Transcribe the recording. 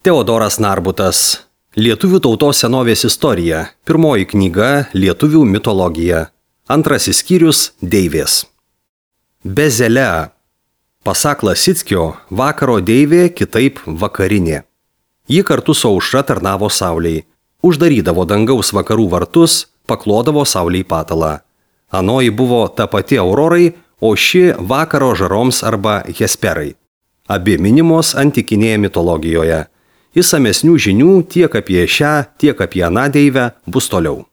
Teodoras Narbutas. Lietuvių tautos senovės istorija. Pirmoji knyga Lietuvių mitologija. Antrasis skyrius Deivės. Bezelea. Pasak Lasickio, vakaro deivė kitaip vakarinė. Ji kartu su aušra tarnavo saulei. Uždarydavo dangaus vakarų vartus, paklodavo saulei patalą. Anoji buvo ta pati aurorai, o ši vakaro žaroms arba hesperai. Abi minimos antikinėje mitologijoje. Išsamesnių žinių tiek apie šią, tiek apie aną deivę bus toliau.